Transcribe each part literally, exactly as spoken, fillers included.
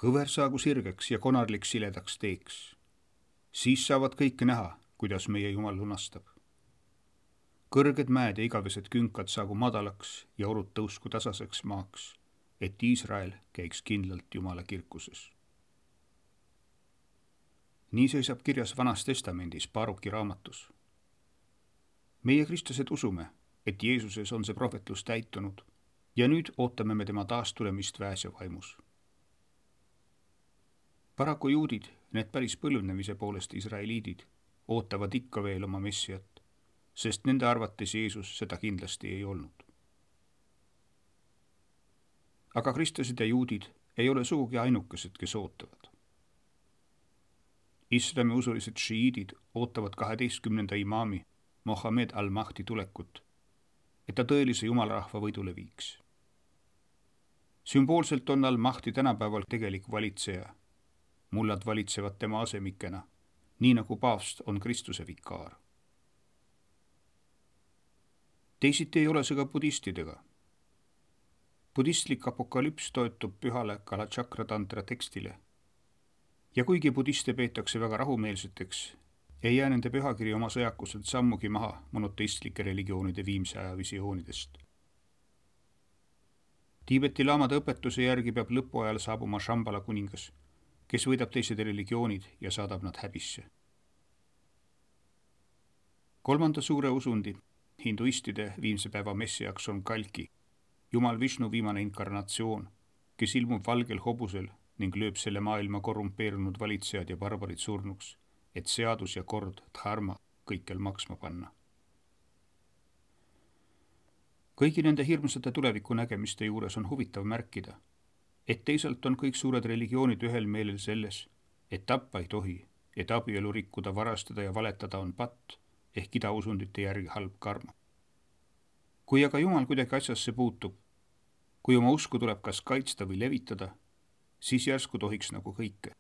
Kõver saagu sirgeks ja konarlik siledaks teeks. Siis saavad kõik näha, kuidas meie Jumal lunastab. Kõrged mäed ja igavesed künkad saagu madalaks ja orud tõusku tasaseks maaks, et Iisrael käiks kindlalt Jumala kirkuses. Nii seisab kirjas Vanas Testamendis Baruki raamatus. Meie kristlased usume, et Jeesuses on see prohvetlus täitunud ja nüüd ootame me tema taastulemist väes ja vaimus. Paraku juudid, need päris põlvnemise poolest israeliidid, ootavad ikka veel oma messiat, sest nende arvates Jeesus seda kindlasti ei olnud. Aga kristlased ja juudid ei ole sugugi ainukesed, kes ootavad. Islami usulised šiiidid ootavad kaheteistkümnenda imaami Mohammed al-Mahdi tulekut, et ta tõelise jumalarahva võidule viiks. Sümboolselt on al-Mahdi tänapäeval tegelik valitseja. Mullad valitsevad tema asemikena, nii nagu paavst on Kristuse vikaar. Teisiti ei ole see ka budistidega. Budistlik apokalüps toetub pühale Kalachakratantra tekstile. Ja kuigi budiste peetakse väga rahumeelseteks, ei jää nende pühakiri oma sõjakuselt sammugi maha monoteistlike religioonide viimse aja visioonidest. Tiibeti laamade õpetuse järgi peab lõpuajal saabuma Shambhala kuningas, kes võidab teised religioonid ja saadab nad häbisse. Kolmanda suure usundi, hinduistide viimse päeva messiaks on Kalki, Jumal Vishnu viimane inkarnatsioon, kes ilmub valgel hobusel ning lööb selle maailma korrumpeerunud valitsejad ja barbarid surnuks, et seadus ja kord dharma kõikjal maksma panna. Kõigi nende hirmsate tuleviku nägemiste juures on huvitav märkida, et teisalt on kõik suured religioonid ühel meelel selles, et tappa ei tohi, et abielu rikkuda, varastada ja valetada on patt ehk idausundite järgi halb karma. Kui aga Jumal kuidagi asjasse puutub, kui oma usku tuleb kas kaitsta või levitada, siis järsku tohiks nagu kõike.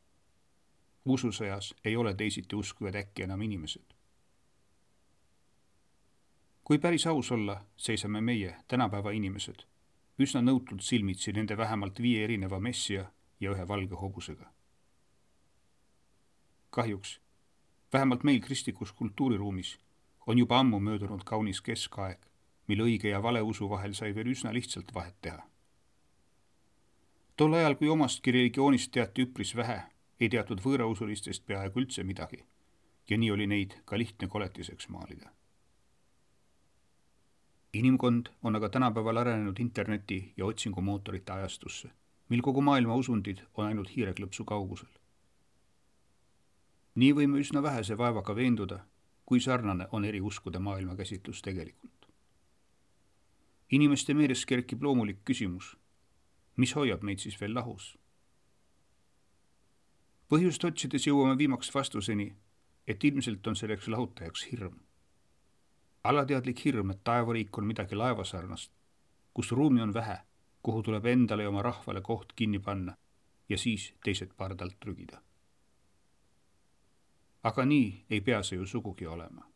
Ususõjas ei ole teisiti uskuvad äkki enam inimesed. Kui päris aus olla, seisame meie, tänapäeva inimesed, üsna nõutult silmitsi nende vähemalt viie erineva messia ja ühe valge hobusega. Kahjuks, vähemalt meil kristlikus kultuuriruumis on juba ammu möödunud kaunis keskaeg, mil õige ja vale usu vahel sai veel üsna lihtsalt vahet teha. Tol ajal, kui omastki religioonist teati üpris vähe, ei teatud võõrausulistest peaaegu üldse midagi ja nii oli neid ka lihtne koletiseks maalida. Inimkond on aga tänapäeval arenenud interneti ja otsingumootorite ajastusse, mil kogu maailma usundid on ainult hiireklõpsu kaugusel. Nii võime üsna vähese vaevaga veenduda, kui sarnane on eri uskude maailma käsitlus tegelikult. Inimeste meeles kerkib loomulik küsimus, mis hoiab meid siis veel lahus? Põhjust otsides jõuame viimaks vastuseni, et ilmselt on selleks lahutajaks hirm. Alateadlik hirm, et taevariik on midagi laevasarnast, kus ruumi on vähe, kuhu tuleb endale ja oma rahvale koht kinni panna ja siis teised pardalt trügida. Aga nii ei pea see ju sugugi olema.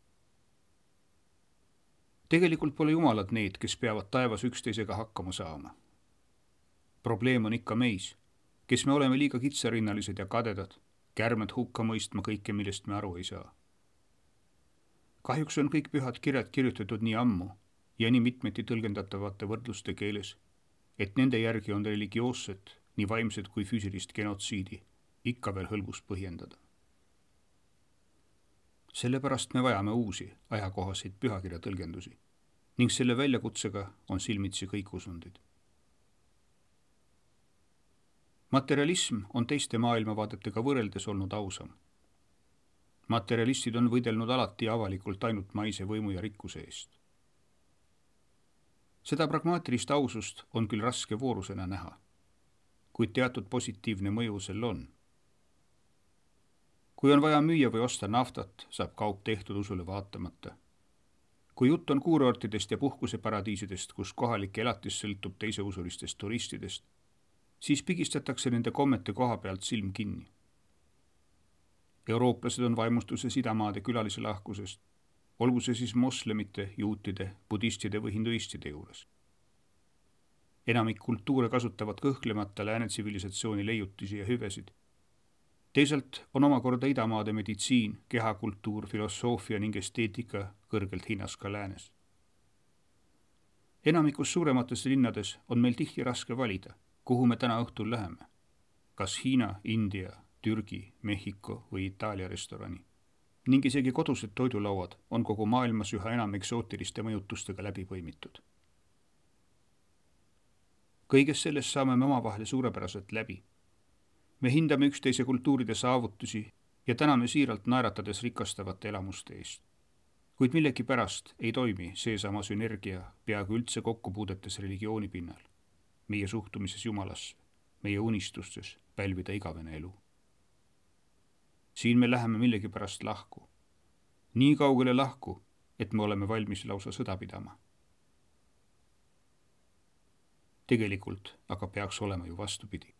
Tegelikult pole jumalad need, kes peavad taevas üksteisega hakkama saama. Probleem on ikka meis, kes me oleme liiga kitsarinnalised ja kadedad, kärmed hukka mõistma kõike, millest me aru ei saa. Kahjuks on kõik pühad kirjad kirjutatud nii ammu ja nii mitmeti tõlgendatavate võrdluste keeles, et nende järgi on religioosset, nii vaimset kui füüsilist genotsiidi ikka veel hõlbus põhjendada. Sellepärast me vajame uusi, ajakohaseid pühakirja tõlgendusi ning selle väljakutsega on silmitsi kõik usundid. Materialism on teiste maailmavaadetega võrreldes olnud ausam. Materialistid on võidelnud alati avalikult ainult maise võimu ja rikkuse eest. Seda pragmaatilist ausust on küll raske voorusena näha, kuid teatud positiivne mõju sel on. Kui on vaja müüa või osta naftat, saab kaup tehtud usule vaatamata. Kui jutt on kuurortidest ja puhkuseparadiisidest, kus kohalik elatis sõltub teiseusulistest turistidest, siis pigistatakse nende kommete koha pealt silm kinni. Eurooplased on vaimustuses idamaade külalise lahkusest, olgu see siis moslemite, juutide, budistide või hinduistide juures. Enamik kultuure kasutavad kõhklemata lääne tsivilisatsiooni leiutisi ja hüvesid. Teisalt on omakorda idamaade meditsiin, kehakultuur, filosoofia ning esteetika kõrgelt hinnas ka läänes. Enamikus suuremates linnades on meil tihti raske valida, kuhu me täna õhtul läheme. Kas Hiina, India, Türgi, Mehhiko või Itaalia restorani. Ning isegi kodused toidulauad on kogu maailmas üha enam eksootiliste mõjutustega läbi põimitud. Kõiges sellest saame me omavahel suurepäraselt läbi. Me hindame üksteise kultuuride saavutusi ja täname siiralt naeratades rikastavate elamuste eest. Kuid millegi pärast ei toimi seesama sünergia peaaegu üldse kokkupuudetes religiooni pinnal, meie suhtumises Jumalasse, meie unistustes pälvida igavene elu. Siin me läheme millegi pärast lahku. Nii kaugele lahku, et me oleme valmis lausa sõda pidama. Tegelikult aga peaks olema ju vastupidi.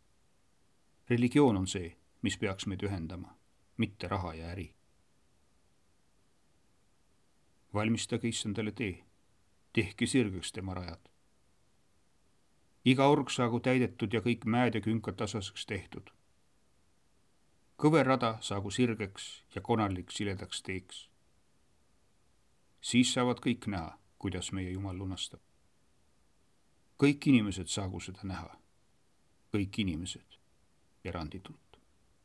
Religioon on see, mis peaks meid ühendama, mitte raha ja äri. Valmistage issandale tee, tehke sirgeks tema rajad. Iga org saagu täidetud ja kõik mäed ja künkad tasaseks tehtud. Kõver rada saagu sirgeks ja konarlik siledaks teeks. Siis saavad kõik näha, kuidas meie Jumal lunastab. Kõik inimesed saagu seda näha. Kõik inimesed eranditult.